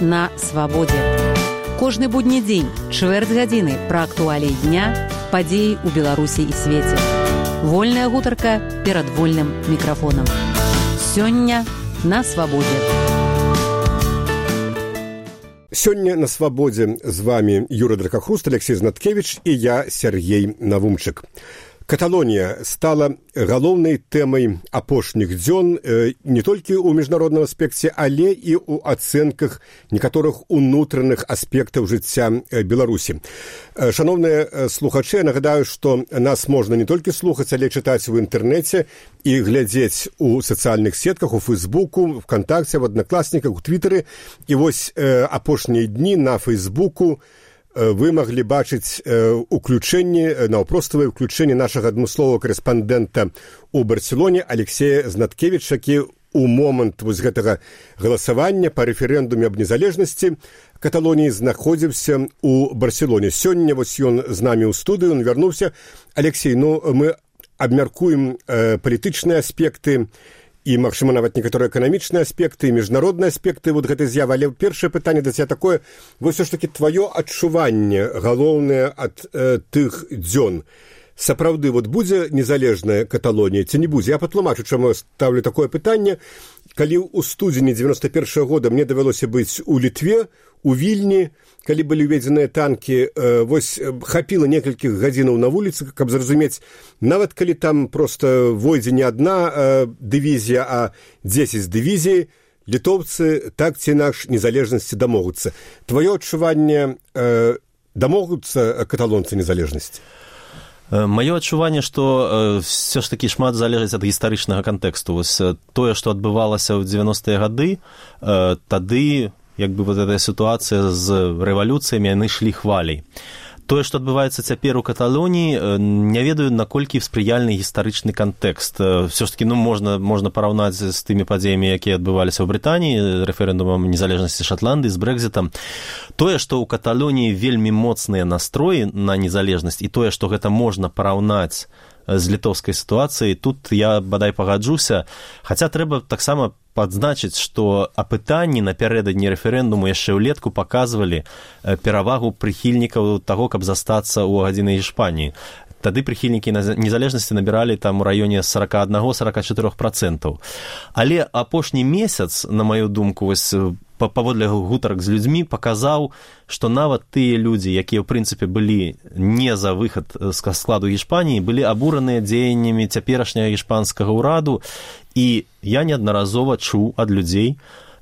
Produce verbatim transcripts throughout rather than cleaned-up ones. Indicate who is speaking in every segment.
Speaker 1: на свабодзе. Кожны будні дзень, чвэрць гадзіны пра актуаліі дня, падзеі ў Беларусі і свеце. Вольная гутарка перад вольным мікрафонам. Сёння на свабодзе.
Speaker 2: Сёння на свабодзе з вами Юрий Дракахруст, Алексей Знаткевич і я, Сергей Навумчык. Каталонія стала галоўнай тэмай апошніх дзён не толькі ў міжнародным аспекце, але і ў ацэнках некаторых унутраных аспектаў жыцця Беларусі. Шановныя слухачы, нагадаю, што нас можна не толькі слухаць, але чытаць у інтэрнэце і глядзець у сацыяльных сетках, у Фейсбуку, ВКонтакце, в Аднакласніках, у Твітары. І вось апошнія дні на Фейсбуку вы маглі бачыць уключэнне, наўпроставае ўключэнне нашага адмысловага корэспандэнта ў Барселоне Алексея Знаткевіча, які у момант вось гэтага галасавання па рэферэндуме аб незалежнасці Каталоніі знаходзіўся ў Барселоне. Сёння вось ён з намі ў студыю, ён вярнуўся. Алексей, ну мы абмяркуем э, палітычныя аспекты і, магчыма, нават некаторыя эканамічныя аспекты, і міжнародныя аспекты вот гэтай з'явы. Але першае пытанне да цябе такое, вось усё ж такі тваё адчуванне галоўнае ад э, тых дзён. Сапраўды, вот будзе незалежная Каталонія ці не будзе? Я патлумачу, чаму я ставлю такое пытанне. Калі ў студзені дзевяноста першага года мне давялося быць у Літве, у Вільні, калі былі ўведзеныя танкі, э, вось хапіла некалькіх гадзінаў на вуліцы, каб зразумець, нават калі там проста войдзе не адна э, дывізія, а дзесяць дывізій, літоўцы так ці інакш незалежнасці дамогуцца. Тваё адчуванне, э, дамогуцца каталонцы незалежнасці?
Speaker 3: Маё адчуванне, што ўсё ж такі шмат залежыць ад гістарычнага кантэксту. Вось тое, што адбывалася ў дзевяностыя гады, тады як бы вот эта сітуацыя з рэвалюцыямі, яны шлі хваляй. Тое, што адбываецца цяпер у Каталоніі, не ведаю, наколькі спрыяльны гістарычны кантэкст. Всё ж такі, ну, можна, можна параўнаць з тымі падзеямі, якія адбываліся ў Брытаніі, рэферэндумам незалежнасці Шатландыі, з Брэкзітам. Тое, што ў Каталоніі вельмі моцныя настроі на незалежнасць, і тое, што гэта можна параўнаць з літоўскай сітуацыяй, тут я бадай пагаджуся. Хаця трэба таксама падзначыць, што апытанні напярэдадні рэферэндуму яшчэ ўлетку паказвалі перавагу прыхільнікаў таго, каб застацца ў гадзінай Іспаніі. Тады прыхільнікі незалежнасці набіралі там у раёне сорок один - сорок четыре процента. Але апошні месяц, на маю думку, вось паводле гутарак з людзьмі, паказаў, што нават тыя людзі, якія, ў прынцыпе, былі не за выхад з складу Іспаніі, былі абураныя дзеяннямі цяперашняга іспанскага ўраду, і я неаднаразова чуў ад людзей,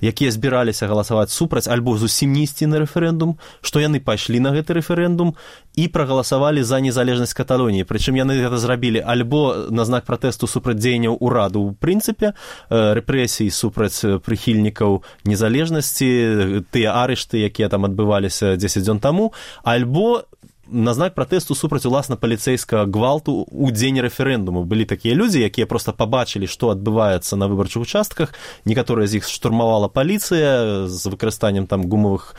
Speaker 3: якія збіраліся галасаваць супраць альбо зусім не ісці на рэферэндум, што яны пайшлі на гэты рэферэндум і прагаласавалі за незалежнасць Каталоніі. Прычым яны гэта зрабілі альбо на знак пратэсту супраць дзеянняў ураду ў прынцыпе, рэпрэсій супраць прыхільнікаў незалежнасці, тыя арышты, якія там адбываліся дзесяць дзён таму, альбо на знак пратэсту супраць уласна паліцэйскага гвалту ў дзень рэферэндуму. Былі такія людзі, якія проста пабачылі, што адбываецца на выбарчых участках. Некаторыя з іх штурмавала паліцыя з выкарыстаннем там гумавых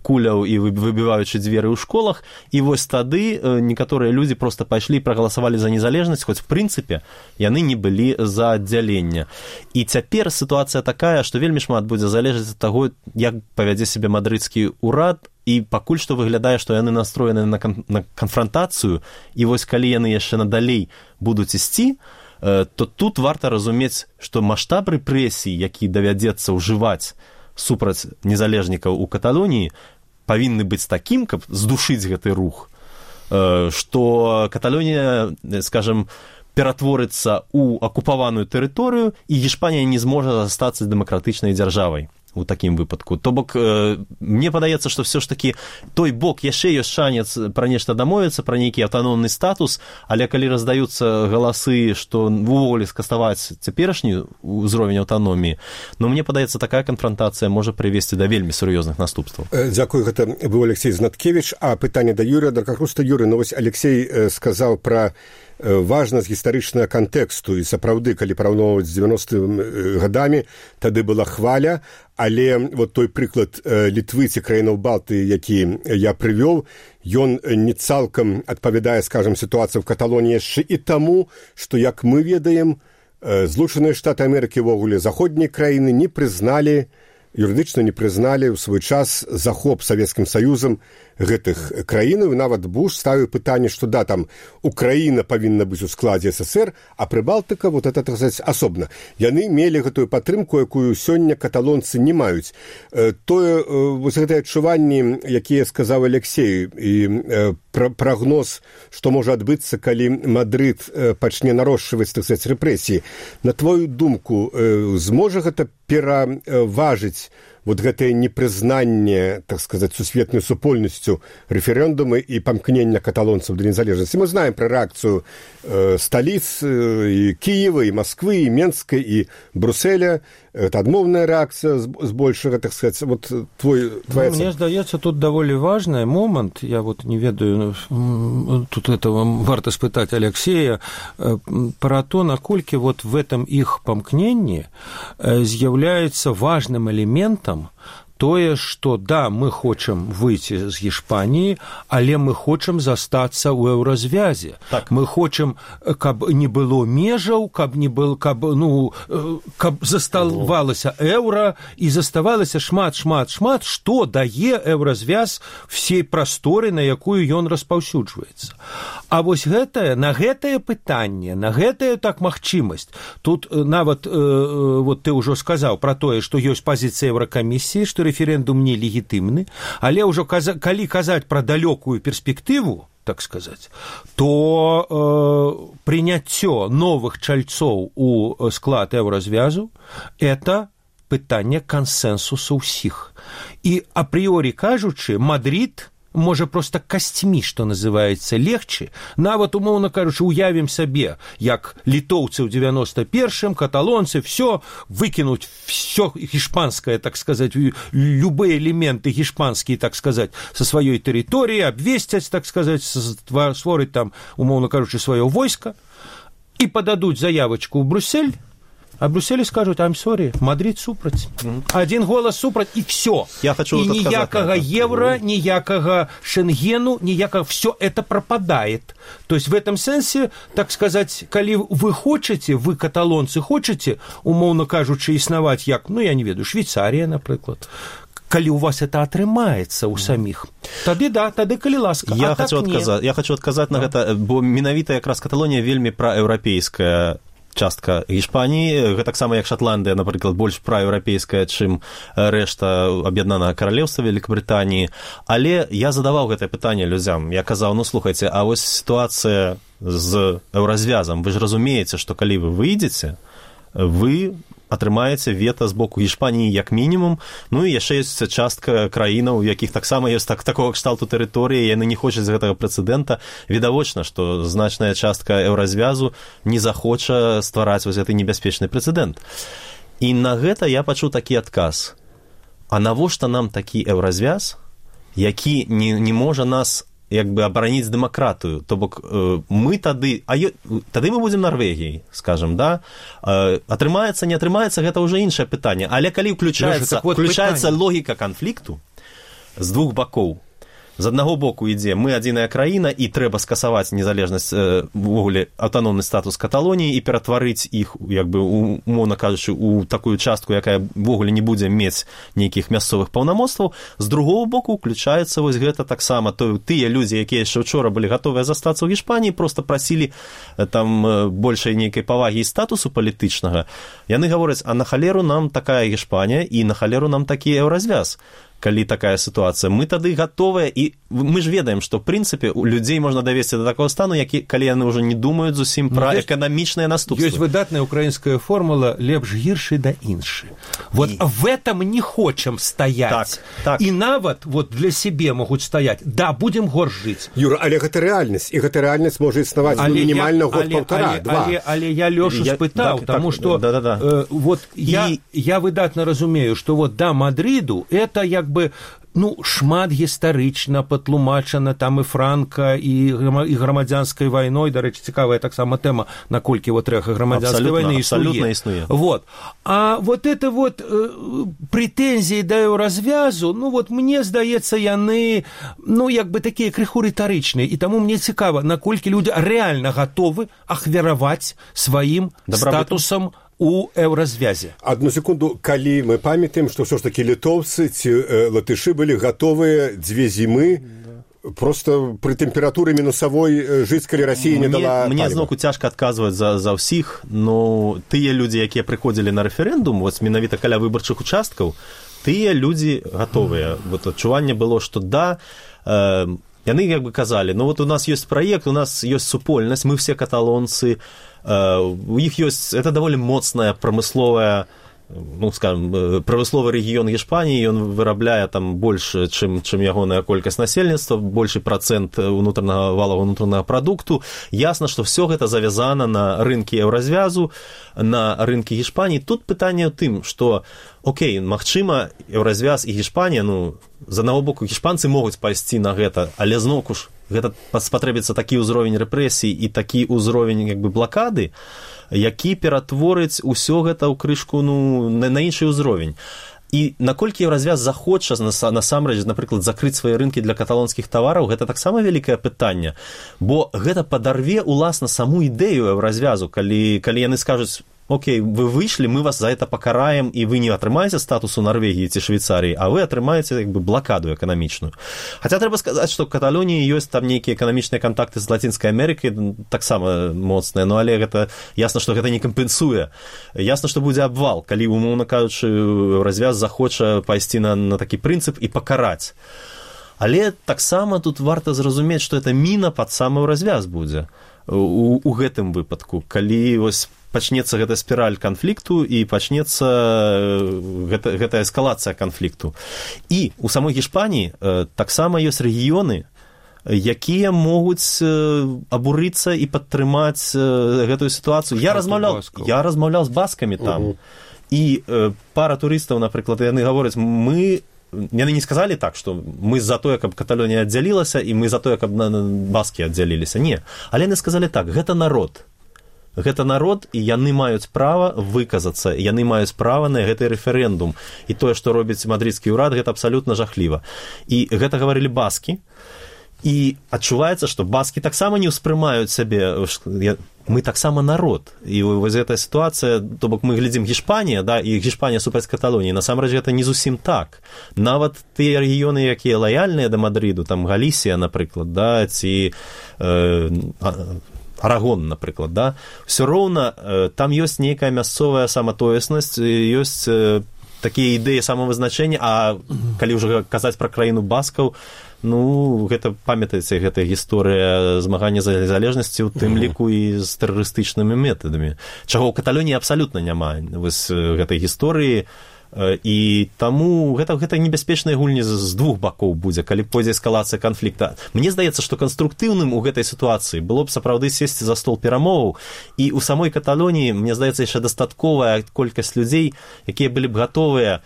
Speaker 3: куляў і выбіваючы дзверы ў школах. І вось тады некаторыя людзі проста пайшлі і прагаласавалі за незалежнасць, хоць в прынцыпе яны не былі за аддзяленне. І цяпер сітуацыя такая, што вельмі шмат будзе залежаць ад таго, як павядзе сябе мадрыдскі ўрад. І пакуль што выглядае, што яны настроены на, кан- на канфрантацыю, і вось калі яны яшчэ надалей будуць ісці, э, то тут варта разумець, што маштаб рэпрэсій, які давядзецца ўжываць супраць незалежнікаў у Каталоніі, павінны быць такім, каб здушыць гэты рух, э, што Каталонія, скажем, ператворыцца ў акупаваную тэрыторыю, і Іспанія не зможа застацца дэмакратычнай дзяржавай у такім выпадку. То бок, э, мне падаецца, што ўсё ж такі той бок яшчэ ёсць шанец пра нешта дамовіцца, пра нейкі аўтаномны статус, але калі раздаюцца галасы, што увогуле скаставаць цяперашні ўзровень аўтаноміі, ну, мне падаецца, такая канфрантацыя можа прывесці да вельмі сур'ёзных наступстваў.
Speaker 2: Дзякую, гэта быў Алексей Знаткевич. А пытанне да Юрия Дракахруста. Юрий, ну вось Алексей сказаў пра важнасць гістарычнага кантэксту, і сапраўды, калі параўноўваць з дзевяностымі гадамі, тады была хваля, але вот той прыклад Літвы ці краінаў Балтыі, які я прывёў, ён не цалкам адпавядае, скажам, сітуацыі ў Каталоніі яшчэ і таму, што, як мы ведаем, Злучаныя Штаты Амерыкі, вогуле заходнія краіны не прызналі юрыдычна не прызналі ў свой час захоп Савецкім Саюзам гэтых краінаў. Нават Буш ставіў пытанне, што да, там Украіна павінна быць у складзе СССР, а Прыбалтыка вот это, так сказаць, асобна. Яны мелі гэтую падтрымку, якую сёння каталонцы не маюць. Тое, вось гэтыя адчуванні, якія сказаў Алексей, і прагноз, што можа адбыцца, калі Мадрид пачне нарошчваць, так сказаць, рэпрэсіі. На твою думку, зможа гэта пераважыць вот гэтае непрызнанне, так сказаць, сусветнай супольнасцю рэферэндумы і памкнення каталонцаў да незалежнасці? Мы знаем пра рэакцыю э, сталіц э, і Кіева, і Масквы, і Менска, і Брюсселя. Это адмоўная рэакцыя збольшага, так сказаць. Вот твой, твоя
Speaker 4: ну, мне здаецца, тут даволі важны момант. Я вот не ведаю, тут этого варта спытаць Алексея пра то, наколькі вот в этом іх памкненні з'яўляецца важным элементам тое, што да, мы хочам выйти з Іспаніі, але мы хочам застацца ў еўразвязе. Так. Мы хочам, каб не было межаў, каб не был, каб, ну, каб заставалася еўра і заставалася шмат, шмат, шмат, што дае еўразвяз всей прасторы, на якую ён распаўсюджваецца. А вось гэтае, на гэтае пытанне, на гэтае так магчымасць, тут нават, э, вот ты ўжо сказаў пра тое, што ёсць пазіцыя Еўракамісіі, што рэферэндум не легітымны, але ўжо каза, калі казаць пра далёкую перспектыву, так сказаць, то э, прыняццё новых чальцоў у склад еўразвязу – это пытанне кансэнсусу ўсіх. І апрыёрі кажучы, Мадрид можа проста касцьмі, што называецца, легчы. Нават, умоўна кажучы, уявім сабе, як літоўцы ў девяносто першым, каталонцы, все, выкінуць все гішпанскае, так сказаць, любыя элементы гішпанскія, так сказаць, са сваёй тэрыторыі, абвесцяць, так сказаць, створыць там, умоўна кажучы, сваё войска, і пададуць заявачку ў Брюссель, а Брюсселі скажуць, I'm sorry, Мадрид супраць. Mm-hmm. Один голас супраць, і все.
Speaker 3: Я хочу
Speaker 4: і ніякага евро, ніякага шенгену, ніякага, все это пропадает. То есть в этом сенсе, так сказать, калі вы хочаце, вы, каталонцы, хочаце, умоўно кажучы, існаваць як, ну, я не ведаю, Швейцария, напрыклад, калі у вас это атрымаецца ў саміх, тады да, тады калі ласка.
Speaker 3: Я,
Speaker 4: а
Speaker 3: хочу,
Speaker 4: так
Speaker 3: адказаць, я хочу адказаць на гэта, бо менавіта якраз Каталонія вельмі праеўрапейская частка Іспаніі, гэтаксама як Шатландыя, напрыклад, больш праеўрапейская, чым рэшта аб'яднанага каралеўства Вялікабрытаніі. Але я задаваў гэтае пытанне людзям. Я казаў, ну, слухайце, а вось сітуацыя з еўразвязам, вы ж разумееце, што калі вы выйдзеце, вы атрымаеце вета з боку Іспаніі як мінімум, ну і яшчэ ёсць частка краінаў, у якіх таксама ёсць так, такога кшталту тэрыторыі, яны не хочуць гэтага прэцэдэнта. Відавочна, што значная частка еўразвязу не захоча ствараць вось гэты небяспечны прэцэдэнт. І на гэта я пачуў такі адказ. А навошта нам такі еўразвяз, які не, не можа нас як бы абараніць дэмакратыю, то бок э, мы тады, а ё, тады мы будзем Нарвегіяй, скажем, да, э, атрымаецца, не атрымаецца, гэта ўжо іншае пытанне, але калі ўключаецца, вот ўключаецца логіка канфлікту з двух бакоў, з аднаго боку ідзе, мы адзіная краіна і трэба скасаваць незалежнасць, э, ввогуле аўтаномны статус Каталоніі і ператварыць іх, як бы, умоўна кажучы, у такую частку, якая ввогуле не будзе мець нейкіх мясцовых паўнамоцтваў. З другого боку ўключаецца вось гэта таксама, то тыя людзі, якія яшчэ учора былі гатовыя застацца ў Іспаніі, проста прасілі там большай нейкай павагі і статусу палітычнага. Яны гавораць, а на халеру нам такая Іспанія і на халеру нам такі еўразвяз. Калі такая сітуацыя, мы тады гатовыя, і мы ж ведаем, што, в прынцыпе, у людзей можна давесці да такого стану, які, калі яны ўжо не думаюць зусім пра эканамічныя наступствы.
Speaker 4: Ёсць выдатная украінская формула «лепш гіршы да іншы». Вот і... в этом не хочам стаять.
Speaker 3: Так, так.
Speaker 4: І нават вот для себе могуць стаять. Да, будем горш жыць.
Speaker 2: Юра, але гэта рэальнасць, і гэта рэальнасць можа існаваць мінімальна год-паўтара, два.
Speaker 4: Але, але я Лёшу я, спытаў, так, таму што
Speaker 3: да, да, да.
Speaker 4: э, вот і... я, я выдатна разумею, што вот да Мадриду это як бы, ну, шмат гістарычна патлумачана там і Франка, і, і грамадзянскай вайной, дарэчы, цікавая таксама тэма, наколькі вот рэха грамадзянскай вайны існуе.
Speaker 3: існуе.
Speaker 4: Вот. А вот это вот э, прэтэнзіі да еўразвязу, ну, вот мне здаецца, яны, ну, як бы такія крыху рытарычныя, і таму мне цікава, наколькі людзі рэальна гатовы ахвяраваць сваім
Speaker 3: Добрабытам.
Speaker 4: статусам у еўразвязе.
Speaker 2: Одну секунду, калі мы памятаем, што ўсё ж такі літоўцы ці э, латышы былі гатовыя дзве зімы просто при тэмпературы мінусавой жыць, калі Расія не дала
Speaker 3: мне
Speaker 2: паліва.
Speaker 3: зноўку цяжка адказваць за, за ўсіх, но тыя людзі, якія прыходзілі на рэферэндум, вось менавіта каля выбарчых участкаў, тыя людзі гатовыя. Вот адчуванне было, што да, э, яны як бы казалі, ну вот у нас ёсць праект, у нас ёсць супольнасць, мы все каталонцы, у іх ёсць, это даволі моцная прамысловая, ну, скажем, прамысловы рэгіён Гішпаніі, ён вырабляе там больш, чым, чым ягоная колькасць насельніцтва, большы працэнт унутранага валовага унутранага прадукту. Ясна, што все гэта завязана на рынкі еўразвязу, на рынкі Гішпаніі. Тут пытанне ў тым, што, окей, магчыма, еўразвяз і Гішпанія, ну, з аднаго боку, гішпанцы могуць пайсці на гэта, але зноўку ж гэта спатрэбіцца такі ўзровень рэпрэсій і такі ўзровень як бы блакады, які ператворыць усё гэта ў крышку, ну, на, на іншы ўзровень. І наколькі еўразвяз захоча насамрэч, напрыклад, закрыць свае рынкі для каталонскіх тавараў, гэта таксама вялікае пытанне, бо гэта падарве уласна саму ідэю еўразвязу, калі, калі яны скажуць: окей, вы выйшлі, мы вас за это пакараем, і вы не атрымаеце статусу Нарвегіі ці Швейцарыі, а вы атрымаеце як бы блакаду эканамічную. Хаця трэба сказаць, што ў Каталоніі ёсць там нейкія эканамічныя кантакты з Лацінскай Амерыкай, таксама моцныя, но але гэта ясна, што гэта не кампенсуе. Ясна, што будзе абвал, калі, умоўна кажучы, развяз захоча пайсці на, на такі прынцып і пакараць. Але таксама тут варта зразумець, што это міна пад самы развяз будзе у, у гэтым выпадку, калі вось пачнецца гэта спіраль канфлікту і пачнецца гэта, гэта эскалацыя канфлікту. І у самой Гішпаніі э, таксама ёсць рэгіёны, якія могуць э, абурыцца і падтрымаць э, гэтую сітуацыю. Я размаўляў, я размаўляў з баскамі там, uh-huh. і э, пара турыстаў, напрыклад, яны гавораць, мы яны не сказалі так, што мы за тое, каб Каталонія аддзялілася, і мы за тое, каб баскі аддзяліліся. Не. Але яны сказалі так, гэта народ. Гэта народ, і яны маюць права выказацца, яны маюць права на гэты рэферэндум. І тое, што робіць мадрыдскі ўрад, гэта абсалютна жахліва. І гэта гаварылі баскі. І адчуваецца, што баскі таксама не ўспрымаюць сябе, мы таксама народ. І вось гэтая сітуацыя, то бок мы глядзім Гішпанія, да, і Гішпанія супраць Каталоніі, насамрэч гэта не зусім так. Нават тыя рэгіёны, якія лаяльныя да Мадрыду, там Галісія, напрыклад, да, ці э, Арагон, напрыклад, да, ўсё роўна э, там ёсць нейкая мясцовая саматоеснасць, ёсць э, такія ідэі самавызначэння, а калі ўжо казаць пра краіну баскаў, ну, гэта, памятаеце, гэта гісторыя змагання за незалежнасці, у тым ліку і з тэрарыстычнымі метадамі. Чаго ў Каталоніі абсалютна няма вось гэтай гісторыі, і таму гэта, гэта небяспечныя гульні з двух бакоў будзе, калі пойдзе эскалацыя канфлікта. Мне здаецца, што канструктыўным у гэтай сітуацыі было б сапраўды сесці за стол перамоваў, і ў самой Каталоніі, мне здаецца, яшчэ дастатковая колькасць людзей, якія былі б гатовыя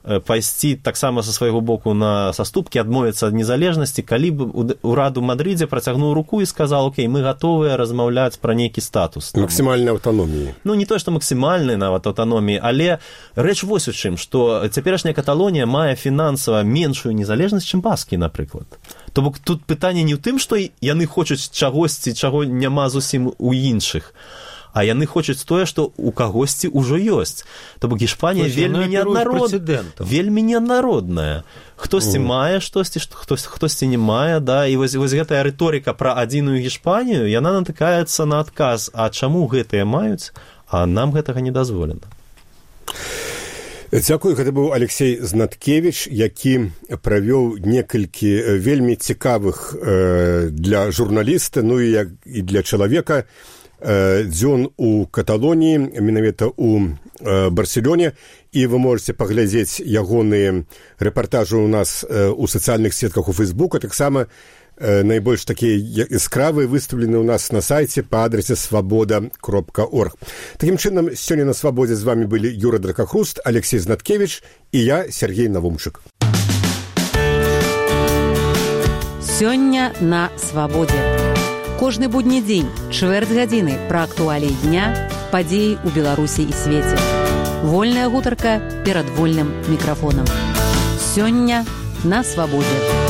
Speaker 3: пайсці таксама са свайго боку на саступкі, адмовіцца ад незалежнасці, калі б урад у Мадрыдзе працягнуў руку і сказаў: окей, мы гатовыя размаўляць пра нейкі статус.
Speaker 2: Максімальнай аўтаноміі.
Speaker 3: Ну, не то, што максімальнай нават аўтаноміі, але рэч вось у чым, што цяперашняя Каталонія мае фінансава меншую незалежнасць, чым баскі, напрыклад. То бок тут пытанне не ў тым, што яны хочуць чагосьці, чаго няма зусім у іншых, а яны хочуць тое, што ў кагосьці ўжо ёсць. То бок Гішпанія вельмі неаднарод... вельмі неаднародная. Хтосьці mm. мае штосьці, хтось, хтосьці не мае, да, і вось, вось гэтая рыторыка пра адзіную Гішпанію, яна натыкаецца на адказ, а чаму гэтыя маюць, а нам гэтага не дазволена.
Speaker 2: Дзякую, гэта быў Алексей Знаткевіч, які правёў некалькі вельмі цікавых э, для журналіста, ну і, як, і для чалавека, дзён у Каталоніі, менавіта ў Барселоне, і вы можете паглядзець ягоныя рэпартажы ў нас у сацыяльных сетках у Фейсбуку, таксама найбольш такія яскравыя выстаўлены ў нас на сайце па адрасе свабода кропка орг. Такім чынам, сёння на Свабодзе з вами былі Юра Дракахруст, Алексей Знаткевіч і я, Сергей Навумчык.
Speaker 1: Сёння на Свабодзе. Кожны будні дзень, чвэрць гадзіны пра актуаліі дня, падзеі ў Беларусі і свеце. Вольная гутарка перад вольным мікрафонам. Сёння на Свабодзе.